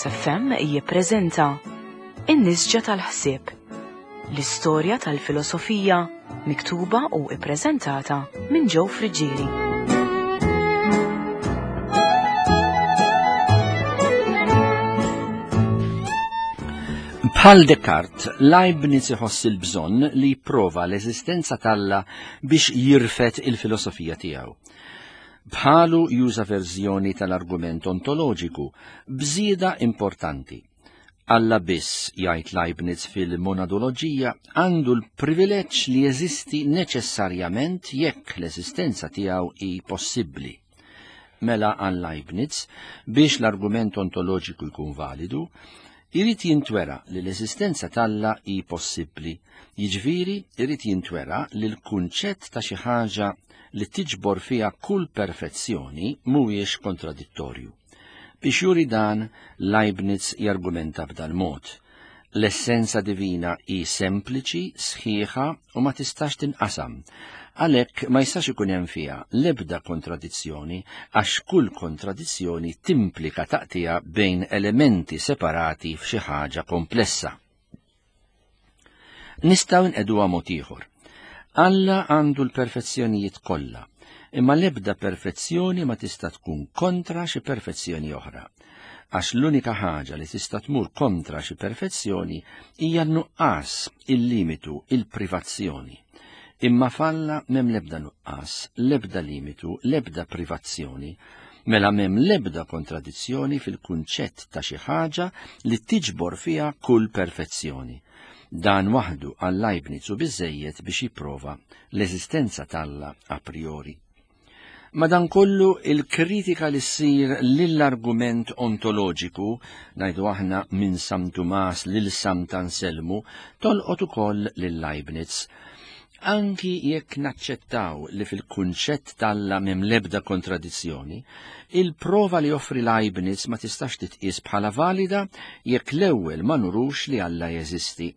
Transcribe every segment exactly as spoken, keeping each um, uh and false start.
Logos F M jippreżenta In-Nisġa tal-Ħsieb, l-istorja tal-filosofija miktuba u ippreżentata minn Joe Friggieri. Bħal Descartes, Leibniz iħoss il-bżonn li jipprova l-eżistenza t'Alla biex jirfet il-filosofija tiegħu. Bħalu juża verżjoni tal-argument ontoloġiku b'żieda importanti. Alla biss, jgħid Leibniz fil-monadoloġija, għandu l-privileġġ li jeżisti neċessarjament jekk l-eżistenza tiegħu hi possibbli. Mela għal Leibniz, biex l-argument ontoloġiku jkun validu, irid jintwera li l-eżistenza t'Alla hi possibbli. Jiġifieri irid jintwera li l-kunċett ta' xi ħaġa li tiġbor fiha kull perfezzjoni mhuwiex kontradittorju. Biex juri dan, Leibniz jargumenta b'dal mod. L-essenza divina hi sempliċi, sħiħa u ma tistax tinqasam. Għalhekk ma jistax ikun hemm fiha l-ebda kontradizzjoni għax kull kontradizzjoni timplika taqtija bejn elementi separati f'xi ħaġa komplessa. Nistgħu nqeduha mod ieħor. Alla għandu l-perfezzjonijiet kollha, imma l-ebda perfezzjoni ma tista' tkun kontra xi perfezzjoni oħra. Għax l-unika ħaġa li tista' tmur kontra xi perfezzjoni hija n-nuqqas, il-limitu, il-privazzjoni. Imma f'Alla m'hemm l-ebda nuqqas, l-ebda limitu, l-ebda privazzjoni, mela m'hemm l-ebda kontradizzjoni fil-kunċett ta' xi ħaġa li tiġbor fiha kull perfezzjoni. Dan waħdu għal Leibniz u biżżejjed biex jipprova l-eżistenza t'Alla a priori. Madankollu il-kritika li ssir lill-argument ontoloġiku, ngħidu aħna minn San Tumas lil Sant'Anselmu, tolqot ukoll lil Leibniz. Anki jekk naċċettaw li fil-kunċett t'Alla m'hemm l-ebda kontradizzjoni, il-prova li joffri Leibniz ma tistax titqies bħala valida jekk l-ewwel ma nurux li Alla jeżisti.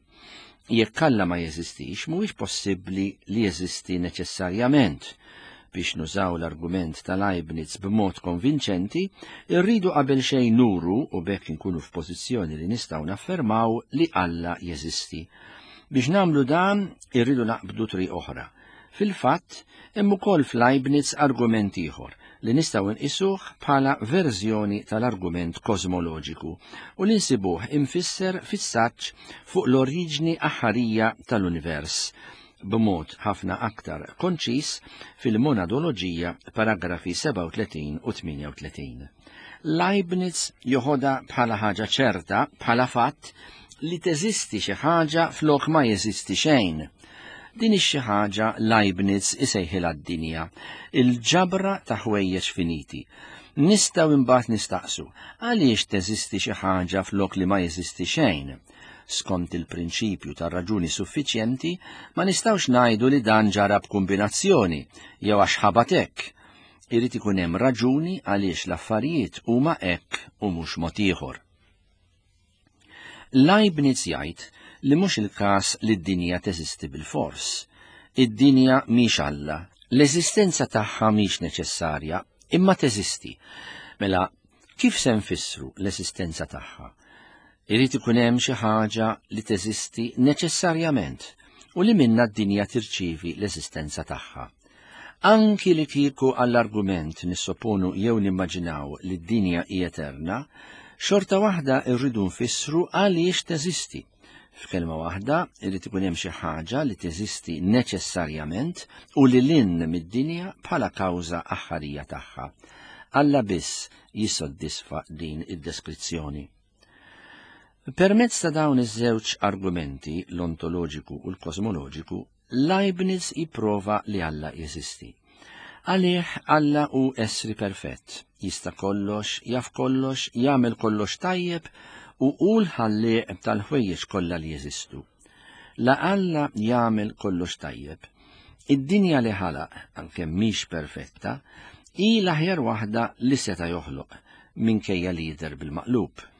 Jekk Alla ma jeżistix, mhuwiex possibbli li jeżisti neċessarjament. Biex nużaw l-argument ta' Leibniz b'mod konvinċenti, irridu qabel xejn nuru u b'hekk inkunu f'pożizzjoni li nistgħu naffermaw li Alla jeżisti. Biex nagħmlu dan, irridu naqbdu triq oħra. Fil-fatt, hemm ukoll f'Leibniz argument ieħor li nistgħu nqisuh bħala verżjoni tal-argument kosmoloġiku u li nsibuh imfisser fis-saġġ fuq l-oriġni aħħarija tal-univers, b'mod ħafna aktar konċis fil-monadoloġija paragrafi sebgħa u tletin u tmienja u tletin. Leibniz joħodha bħala ħaġa ċerta, bħala fatt, li teżisti xi ħaġa flok ma jeżisti xejn. Din ix-xi ħaġa Leibniz isejħilha d-dinja, il-ġabra ta' ħwejjeġ finiti. Nistgħu imbagħad nistaqsu għaliex teżisti xi ħaġa flok li ma jeżisti xejn. Skont il-prinċipju tar-raġuni suffiċjenti, ma nistgħux ngħidu li dan ġara b'kombinazzjoni jew għax ħabat hekk. Irid ikun hemm raġuni għaliex l-affarijiet huma hekk u mhux mod ieħor. Leibniz jgħid li mhux il-każ li d-dinja teżisti bil-fors. Id-dinja mhix Alla, l-eżistenza tagħha mhix neċessarja, imma teżisti. Mela, kif se nfissru l-eżistenza tagħha? Irid ikun hemm xi ħaġa li teżisti neċessarjament u li minnha d-dinja tirċievi l-eżistenza tagħha. Anki li kieku għall-argument nissoponu jew nimmaġinaw li d-dinja hi eterna, xorta waħda rridu nfissru għaliex teżisti. F'kelma waħda, irid ikun hemm xi ħaġa li teżisti neċessarjament u li lin mid-dinja bħala kawża aħħarija tagħha. Alla biss jissodisfa din id-deskrizzjoni. Permezz ta' dawn iż-żewġ argumenti, l-ontoloġiku u l-kosmoloġiku, Leibniz jipprova li Alla jeżisti. Għalih Alla hu essri perfett, jista' kollox, jaf kollox, jagħmel kollox tajjeb u hu l-ħallieq tal-ħwejjeġ kollha li jeżistu. La Alla jagħmel kollox tajjeb, id-dinja li ħalaq, għalkemm mhix perfetta, hi l-aħjar waħda li seta' joħloq minkejja li jidher bil-maqlub.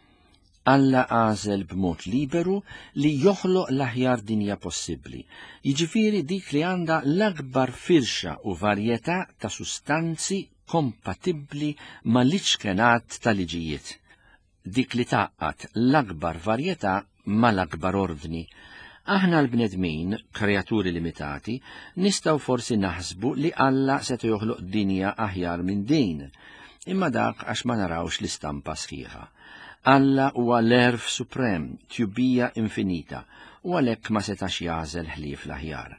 Alla għażel b'mod liberu li joħloq l-aħjar dinja possibbli, jiġifieri dik li għandha l-akbar firxa u varjetà ta' sustanzi kompatibbli mal-iċkenat tal-liġijiet. dik li tgħaqqad l-akbar varjetà mal-akbar ordni. Aħna l-bnedmin, kreaturi limitati, nistgħu forsi naħsbu li Alla seta' joħloq dinja aħjar minn din, imma dak għax ma narawx l-istampa sħiħa. Alla huwa l-erf suprem, tjubija infinita, u għalhekk ma setax jagħżel ħlief l-aħjar.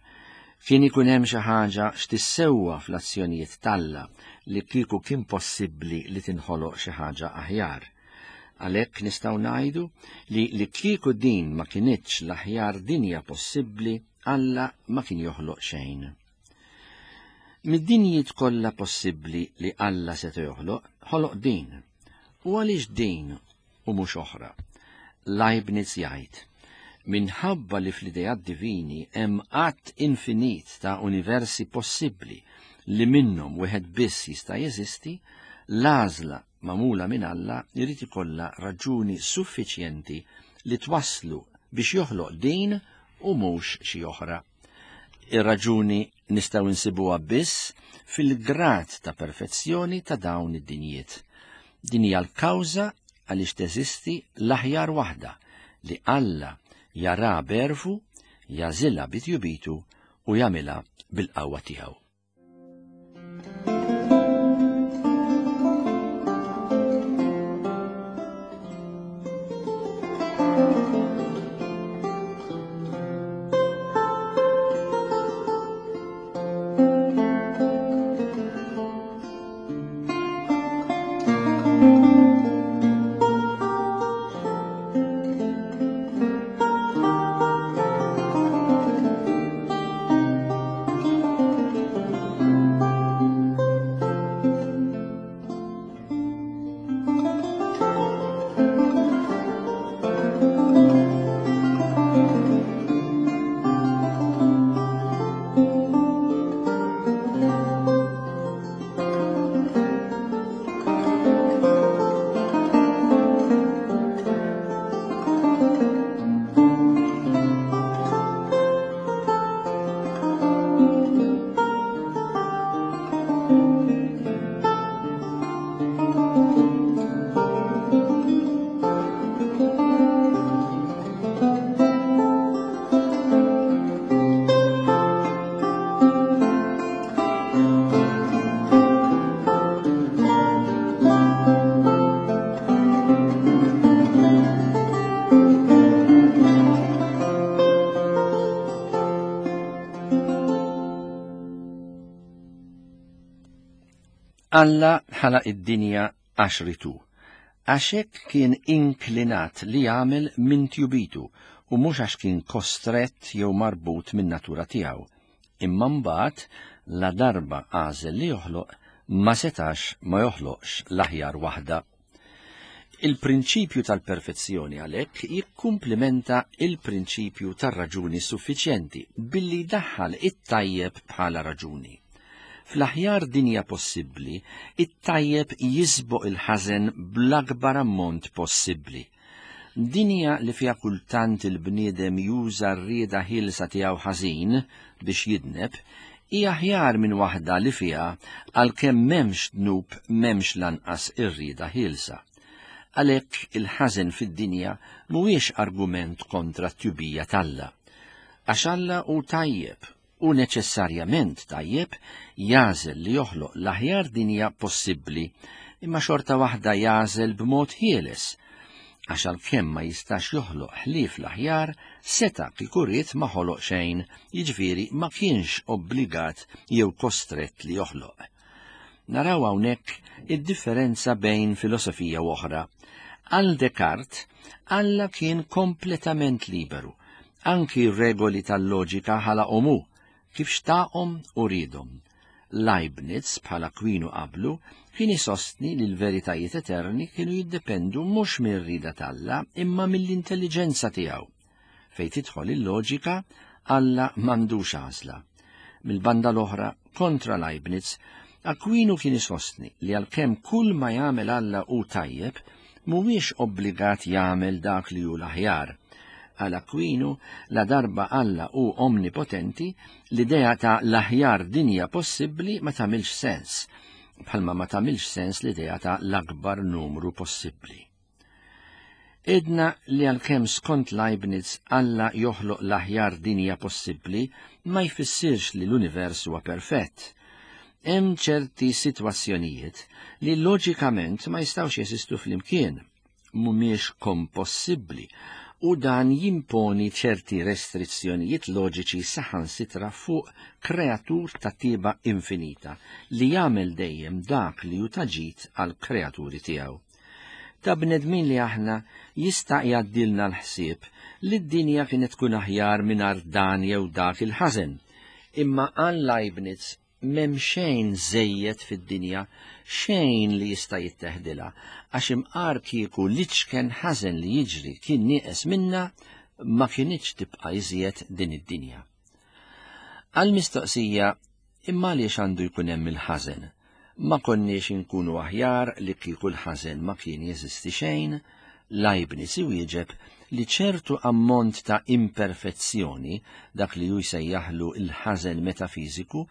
Kien ikun hemm xi ħaġa x'tissewwa fl-azzjonijiet t'Alla li kieku kien possibbli li tinħoloq xi ħaġa aħjar. Għalhekk nistgħu ngħidu li li kieku din ma kinitx l-aħjar dinja possibbli, Alla ma kien joħloq xejn. Mid-dinjiet kollha possibbli li Alla seta' joħloq, ħoloq din. U għaliex din u mhux oħra? Leibniz jgħid, minħabba li fl-ideat divini hemm għadd infinit ta' universi possibbli li minnhom wieħed biss jista' jeżisti, l-għażla magħmula minn Alla jrid ikollha raġuni suffiċjenti li twasslu biex joħloq din u mhux xi oħra. Ir-raġuni nistgħu nsibuha biss fil-grad ta' perfezzjoni ta' dawn id-dinjiet. Din hija l-kawża għaliex teżisti l-aħjar waħda li Alla jara berfu, jażilha bitjubitu u jagħmilha bil-qawwa tiegħu. Alla ħalaq id-dinja għax ritu, għax hekk kien inklinat li jagħmel minn tjubitu u mhux għax kien kostrett jew marbut minn natura tiegħu. Imma mbagħad la darba għażel li joħloq ma setax ma joħloqx l-aħjar waħda. Il-prinċipju tal-perfezzjoni għalhekk jikkumplimenta il-prinċipju tar-raġuni suffiċjenti billi daħħal it-tajjeb bħala raġuni. Fl-aħjar dinja possibbli, it-tajjeb jisboq il-ħażen bl-akbar ammont possibbli. Dinja li fiha kultant il-bniedem juża r-rieda ħielsa tiegħu ħażin biex jidneb, hija aħjar minn waħda li fiha għalkemm m'hemmx dnub m'hemmx lanqas ir-rieda ħielsa. Għalhekk il-ħażen fid-dinja mhuwiex argument kontra t-tjubija t'Alla. Għax Alla hu tajjeb u neċessarjament tajjeb jażel li joħloq l-aħjar dinja possibbli, imma xorta waħda jażel b'mod ħieles, għax għalkemm ma jistax joħloq ħlief l-aħjar, seta' kieku ried ma ħoloq xejn, jiġifieri ma kienx obbligat jew kostrett li joħloq. Naraw hawnhekk id-differenza bejn filosofija u oħra. Għal Descartes, Alla kien kompletament liberu, anki r-regoli tal-loġika ħalaqhom hu, kif xtaqhom u riedhom. Leibniz, bħala Aquino qablu, kien isostni li l-veritajiet eterni kienu jiddependu mhux mir-rieda t'Alla imma mill-intelliġenza tiegħu. Fejn tidħol il-loġika, Alla m'għandux għażla. Mill-banda l-oħra, kontra Leibniz, Aquino kien isostni li għalkemm kull ma jagħmel Alla hu tajjeb, mhuwiex obbligat jagħmel dak li hu l-aħjar. Għal Aquino, la darba Alla hu omnipotenti, l-idea ta' l-aħjar dinja possibbli ma tagħmilx sens, bħalma ma tagħmilx sens l-idea ta' l-akbar numru possibbli. Idna li għalkemm skont Leibniz Alla joħloq l-aħjar dinja possibbli ma jfissirx li l-univers huwa perfett. Hemm ċerti sitwazzjonijiet li loġikament ma jistgħux jeżistu flimkien, mhumiex kompossibbli, u dan jimponi ċerti restrizzjonijiet loġiċi saħansitra fuq kreatur ta' tiba infinita li jagħmel dejjem dak li hu ta' ġid għal kreaturi tiegħu. Ta' bnedmin li aħna jista' jgħaddilna l-ħsieb li d-dinja kienet tkun aħjar mingħajr dan jew dak il-ħażen. Imma għal Leibniz m'hemm xejn żejjed fid-dinja, xejn li jista' jitteħdilha, għax imqar kieku l-iċken ħażen li jiġri kien nieqes minna ma kinitx tibqa' iżjed din id-dinja. Għal mistoqsija imma għaliex għandu jkun hemm il-ħażen? Ma konniex inkunu aħjar li kieku l-ħażen ma kien jeżisti xejn? Leibniz iwieġeb li ċertu ammont ta' imperfezzjoni, dak li hu jsejjaħlu l-ħażen metafiżiku,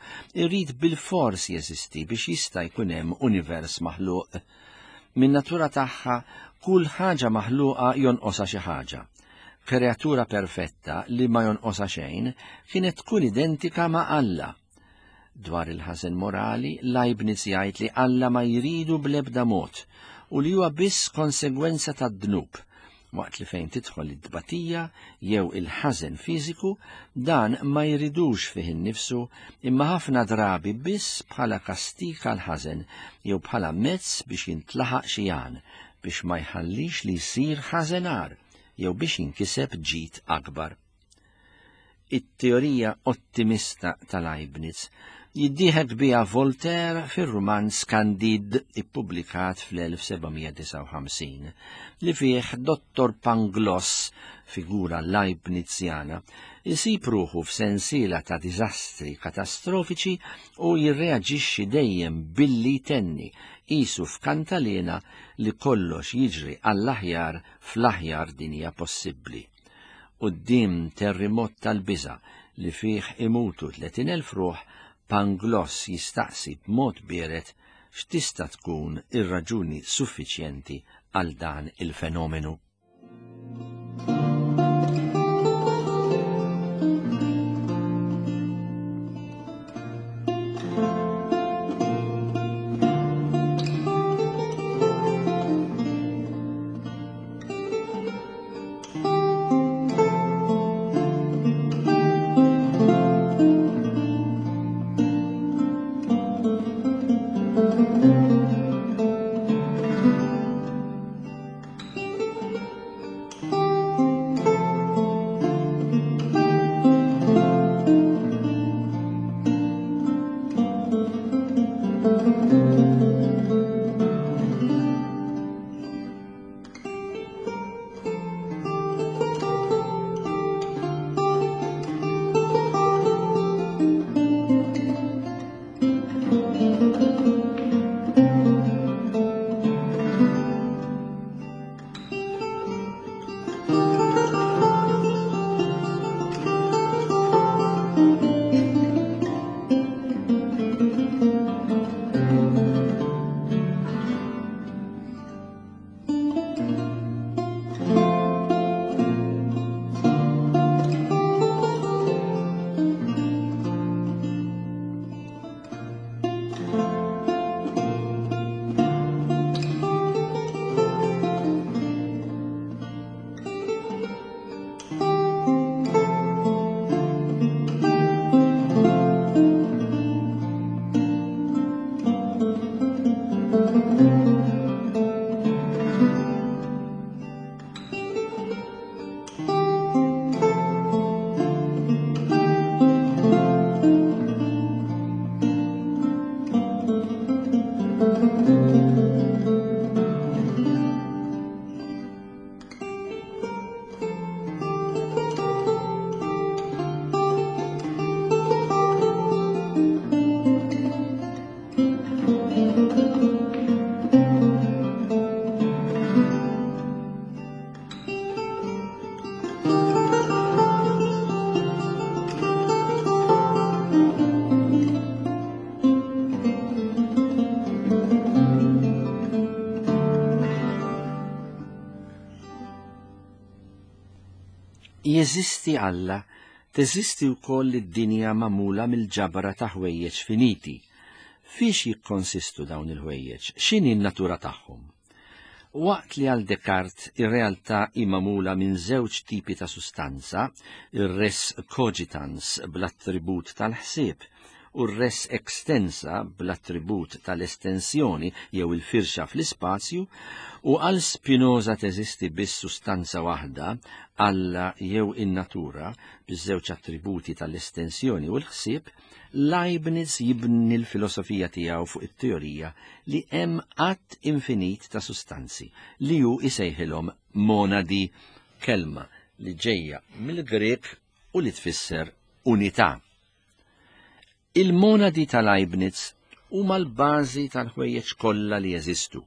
irid bilfors jeżisti biex jista' jkun hemm univers maħluq. Min natura tagħha kull ħaġa maħluqa jonqosha xi ħaġa. Kreatura perfetta li ma jonqosha xejn kienet tkun identika ma' Alla. Dwar il-ħażen morali, Leibniz jgħid li Alla ma jridu bl-ebda mod u li huwa biss konsegwenza tad-dnub, waqt li fejn tidħol id-dbatija jew il-ħażen fiżiku, dan ma jridux fih innifsu imma ħafna drabi biss bħala kastik għal ħażen jew bħala mezz biex jintlaħaq xi għan, biex ma jħallix li jsir ħażen agħar jew biex jinkiseb ġid akbar. It-teorija ottimista ta' Leibniz jiddieħek biha Voltaire fir-rumanz Candide ippubblikat fl-elf sebgħamija disgħa u ħamsin, li fih Dottor Pangloss, figura Leibnizjana, isib ruħu f'sensiela ta' diżastri katastrofiċi u jirreaġixxi dejjem billi tenni qisu f'kantalena li kollox jiġri għall-aħjar fl-aħjar dinja possibbli. Quddiem terremot tal-biża' li fih imutu tletin elf ruħ, Pangloss jistaqsi b'mod biered x'tista' tkun ir-raġuni suffiċjenti għal dan il-fenomenu. jeżisti Alla, teżisti wkoll id-dinja magħmula mill-ġabra ta' ħwejjeġ finiti. Fiex jikkonsistu dawn il-ħwejjeġ? X'inhi n-natura tagħhom? Waqt li għal Descartes ir-realtà hi magħmula minn żewġ tipi ta' sustanza, ir-res cogitans bl-attribut tal-ħsieb u r-res extensa bl-attribut tal-estensjoni jew il-firxa fl-ispazju, u għal Spinoza teżisti biss sustanza waħda, Alla jew in-natura, biż-żewġ attributi tal-estensjoni u l-ħsieb, Leibniz jibni l-filosofija tiegħu fuq it-teorija li hemm għadd infinit ta' sustanzi li hu isejħilhom monadi, kelma li ġejja mill-Grek u li tfisser unità. Il-monadi ta' Leibniz huma l-bażi tal-ħwejjeġ kollha li jeżistu.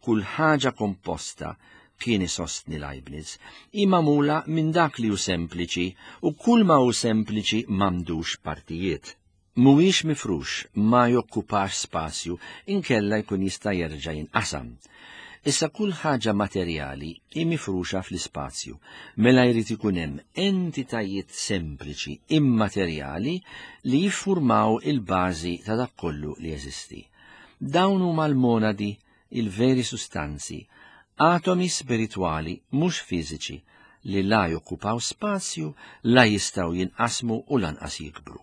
Kull ħaġa komposta, kien isostni Leibniz, hi magħmula minn dak li hu sempliċi u kull ma hu sempliċi m'għandux partijiet. Mhuwiex mifrux, ma jokkupax spazju, inkella jkun jista' jerġa' jinqasam. Issa kull ħaġa materjali hi mifruxa fl-ispazju, mela jrid ikun hemm entitajiet sempliċi immaterjali li jiffurmaw il-bażi ta' dak kollu li jeżisti. Dawn huma l-monadi, il-veri sustanzi, atomi spiritwali mhux fiżiċi li la jokkupaw spazju, la jistgħu jinqasmu u lanqas jikbru.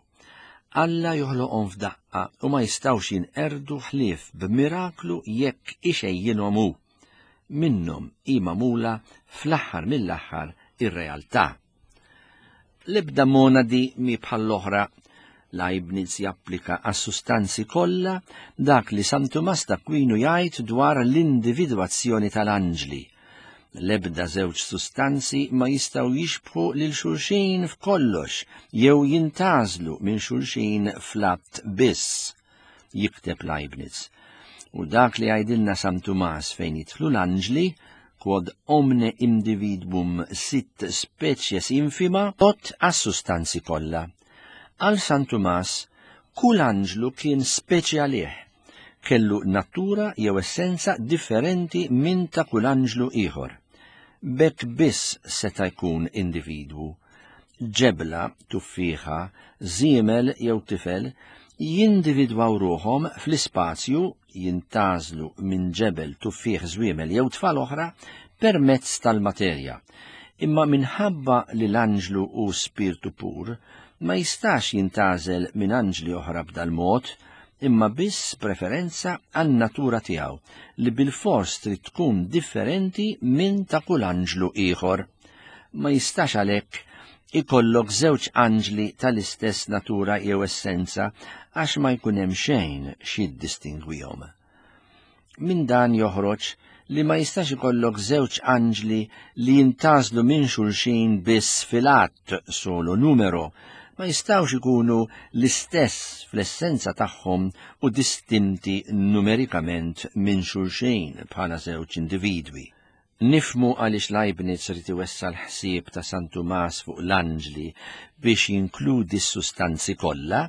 Alla joħloqhom f'daqqa u ma jistgħux jinqerdu ħlief b'miraklu jekk ixejjinhom hu. Minnhom hi magħmula fl-aħħar mill-aħħar ir-realtà. L-ebda monadi mi bħall-oħra. Leibniz japplika għas-sustanzi kollha dak li San Tumas d'Aquino jgħid dwar l-individwazzjoni tal-anġli. L-ebda żewġ sustanzi ma jistgħu jixbħu lil xulxin f'kollox jew jintgħażlu minn xulxin fl-att biss, jikteb Leibniz. U dak li jgħidilna San Tumas fejn jidħlu l-anġli, quod omne individuum sit species infima, tot għas-sustanzi kollha. Għal San Tumas, kull anġlu kien speċi għalih, kellu natura jew essenza differenti minn ta' kull anġlu ieħor. B'hekk biss seta' jkun individwu. Ġebla, tuffieħa, żiemel jew tifel jindividwaw ruħhom fl-ispazju, jintgħażlu minn ġebel, tuffieħ, żwiemel jew tfal oħra permezz tal-materja. Imma minħabba li l-anġlu hu spirtu pur, ma jistax jintgħażel minn anġli oħra b'dal-mod, imma biss preferenza għan-natura tiegħu li bil-fors trid tkun differenti minn ta' kull anġlu ieħor. Ma jistax għalhekk ikollok żewġ anġli tal-istess natura jew essenza għax ma jkun hemm xejn x'jiddistingwihom. Minn dan joħroġ li ma jistax ikollok żewġ anġli li jintgħażlu minn xulxin biss fil-att solo numero, ma jistgħux ikunu l-istess fl-essenza tagħhom u distinti numerikament minn xulxin bħala żewġ individwi. Nifhmu għaliex Leibniz rid iwessa' l-ħsieb ta' San Tumas fuq l-anġli biex jinkludi s-sustanzi kollha,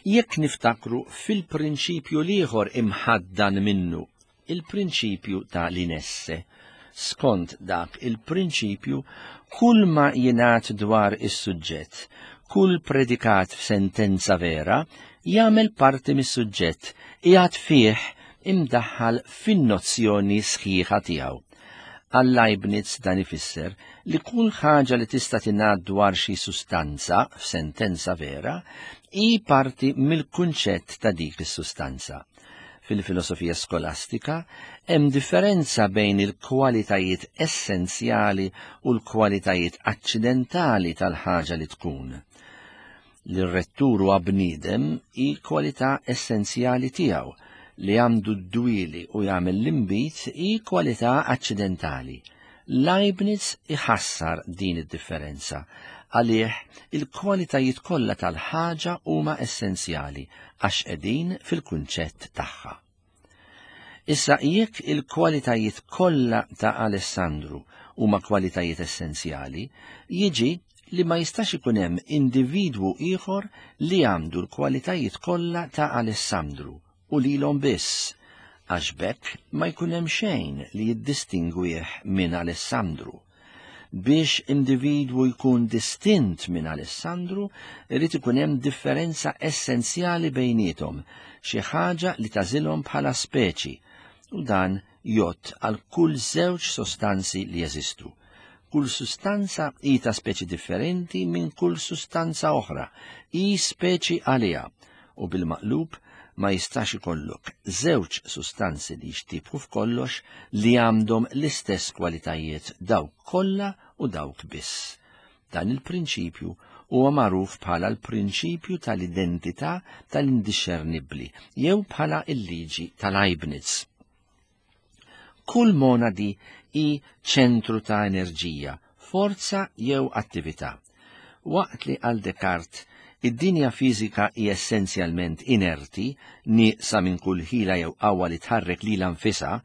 jekk niftakru fil-prinċipju l-ieħor imħaddan minnu, il-prinċipju ta' l-inesse. Skont dak il-prinċipju, kull ma jingħad dwar is-suġġett, kull predikat f'sentenza vera, jagħmel parti mis-suġġett, qiegħed fih imdaħħal fin-nozzjoni sħiħa tiegħu. Għal Leibniz dan ifisser li kull ħaġa li tista' tingħad dwar xi sustanza f'sentenza vera hi parti mill-kunċett ta' dik is-sustanza. Fil-filosofija skolastika hemm differenza bejn il-kwalitajiet essenzjali u l-kwalitajiet aċċidentali tal-ħaġa li tkun. Li r-rettur huwa bniedem hi kwalità essenzjali tiegħu, li għandu d-dwieli u jagħmel l-inbid hi kwalità aċċidentali. Leibniz iħassar din id-differenza. Għalih il-kwalitajiet kollha tal-ħaġa huma essenzjali għax qegħdin fil-kunċett tagħha. Issa jekk il-kwalitajiet kollha ta' Alessandru huma kwalitajiet essenzjali, jiġi li ma jistax ikun hemm individwu ieħor li għandu l-kwalitajiet kollha ta' Alessandru u lilhom biss, għax b'hekk ma jkun hemm xejn li jiddistingwih minn Alessandru. Biex individwu jkun distint minn Alessandru, irid ikun hemm differenza essenzjali bejniethom, xi ħaġa li tażilhom bħala speċi, u dan jgħodd għal kull żewġ sostanzi li jeżistu. Kull sustanza hi ta' speċi differenti minn kull sustanza oħra, hi speċi għaliha, u bil-maqlub ma jistax ikollok żewġ sustanzi li jixtibħu f'kollox li għandhom l-istess kwalitajiet dawk kollha u dawk biss. Dan il-prinċipju huwa magħruf bħala l-prinċipju tal-identità tal-indixxernibbli jew bħala l-liġi tal-Leibniz. Kull monadi hi ċentru ta' enerġija, forza jew attività. Waqt li għal Descartes id-dinja fiżika hi essenzjalment inerti, nieqsa minn kull ħila jew qawwa li tħarrek lilha nfisha,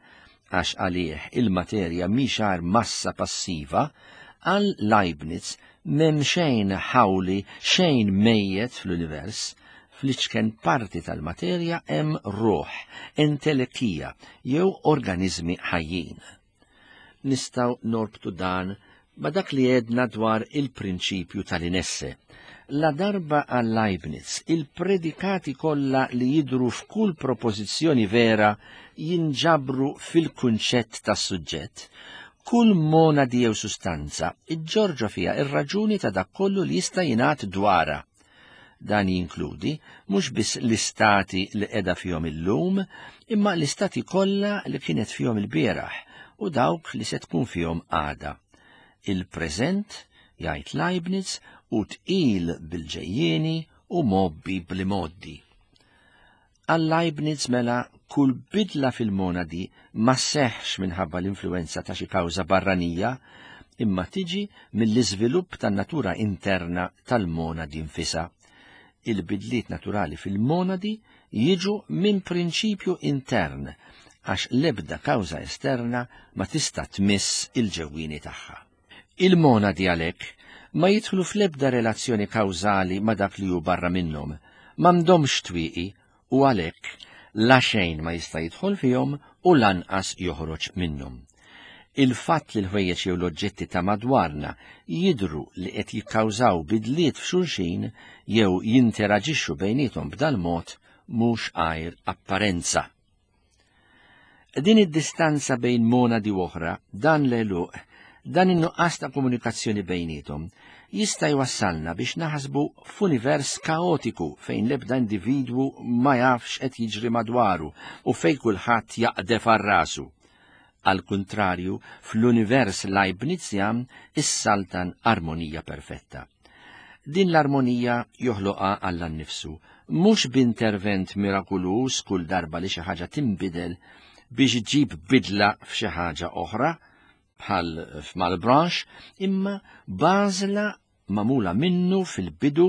għax għalih il-materja mhix għar massa passiva, għal Leibniz m'hemm xejn ħawli, xejn mejjet fl-univers, fl-iċken parti tal-materja hemm ruħ, entelekija jew organizmi ħajjin. Nistgħu norbtu dan ma' dak li għedna dwar il-prinċipju tal-inesse. La darba għal Leibniz, il-predikati kollha li jidru f'kull propożizzjoni vera jinġabru fil-kunċett tas-suġġett. Kull monadi jew sustanza iġġorġa fiha ir-raġuni ta' dak kollu li jista' jingħad dwarha. Dan jinkludi mhux biss l-istati li qiegħda fihom illum, imma l-istati kollha li kienet fihom il-bieraħ u dawk li se tkun fihom għada. Il-preżent, jgħid Leibniz, u tqil bil-ġejjieni u mobbi bl-imoddi. Għal Leibniz mela kull bidla fil-monadi ma seħx minħabba l-influenza ta' xi kawża barranija, imma tiġi mill-iżvilupp tan-natura interna tal-monadi nfisha. Il-bidliet naturali fil-monadi jiġu minn prinċipju intern, għax l-ebda kawża esterna ma tista' tmiss il-ġewwieni tagħha. Il-monadi għalhekk ma jidħlu fl-ebda relazzjoni kawżali ma dak li hu barra minnhom, m'għandhomx twieqi u għalhekk la xejn ma jista' jidħol fihom u lanqas joħroġ minnhom. Il-fatt li l-ħwejjeġ jew l-oġġetti ta' madwarna jidhru li qed jikkawżaw bidliet f'xulxin jew jinteraġixxu bejniethom b'dal-mod mhux għajr apparenza. Din id-distanza bejn monadi u oħra, dan l-għeluq, dan in-nuqqas ta' komunikazzjoni bejniethom jista' jwassalna biex naħsbu f'univers kaotiku fejn l-ebda individwu ma jafx qed jiġri madwaru u fejn kulħadd jaqdef għal rasu. Al kuntrarju, fl-univers Leibnizjan issaltan armonija perfetta. Din l-armonija joħloqha Alla nnifsu, mhux b'intervent mirakuluż kull darba li xi ħaġa tinbidel biex iġib bidla f'xi ħaġa oħra, bħal f'Malbranche, imma bażla magħmula minnu fil-bidu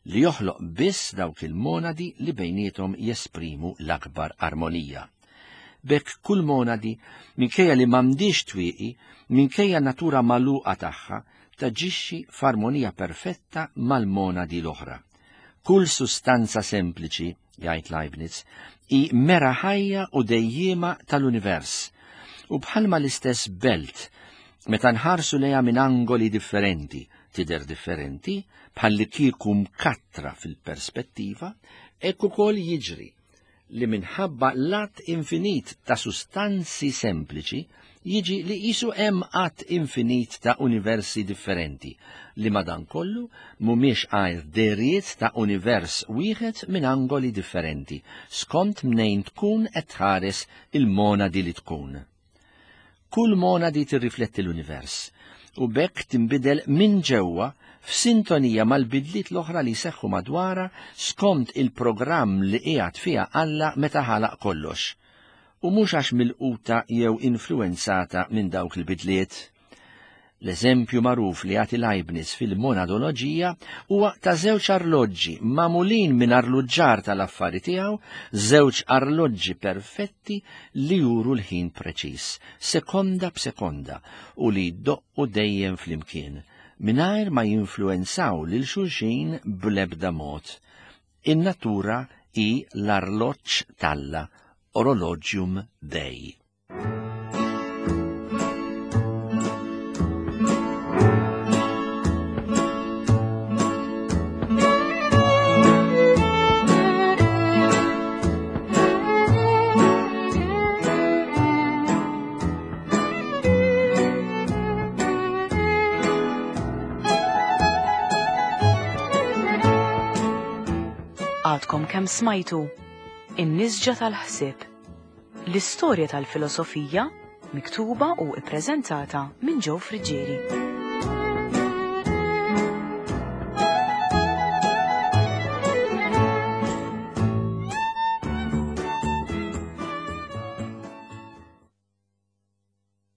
li joħloq biss dawk il-monadi li bejniethom jesprimu l-akbar armonija. B'hekk kull monadi, minkejja li m'għandix twieqi, minkejja natura magħluqa tagħha, taġixxi f'armonija perfetta mal-monadi l-oħra. Kull sustanza sempliċi, jgħid Leibniz, hi mera ħajja u dejjiema tal-univers. U bħalma l-istess belt, meta nħarsu lejha minn angoli differenti, tidher differenti, bħalli kieku mkattra fil-perspettiva, hekk ukoll jiġri li minħabba l-att infinit ta' sustanzi sempliċi jiġi li qisu hemm att infinit ta' universi differenti, li madankollu mhumiex għajr deriet ta' univers wieħed minn angoli differenti, skont mnejn tkun qed tħares il-monadi li tkun. Kull monadi tirrifletti l-univers u b'hekk tinbidel minn ġewwa f'sintonija mal-bidliet l-oħra li jseħħu madwarha skont il-programm li qiegħed fiha Alla meta ħalaq kollox, u mhux għax milquta jew influenzata minn dawk il-bidliet. L-eżempju magħruf li jagħti Leibniz fil-monadoloġija huwa ta' żewġ arloġġi magħmulin minn arluġġar tal-affari tiegħu, żewġ arloġġi perfetti li juru l-ħin preċiż, sekonda b'sekonda, u li jdoqqu dejjem flimkien, mingħajr ma jinfluwenzaw lil xulxin bl-ebda mod. In-natura hi l-arloġġ t'Alla, Orologium Dei. Għadkom kemm smajtu In-nisġa tal-ħsieb. L-istorja tal-filosofija miktuba u ippreżentata minn Joe Friggieri.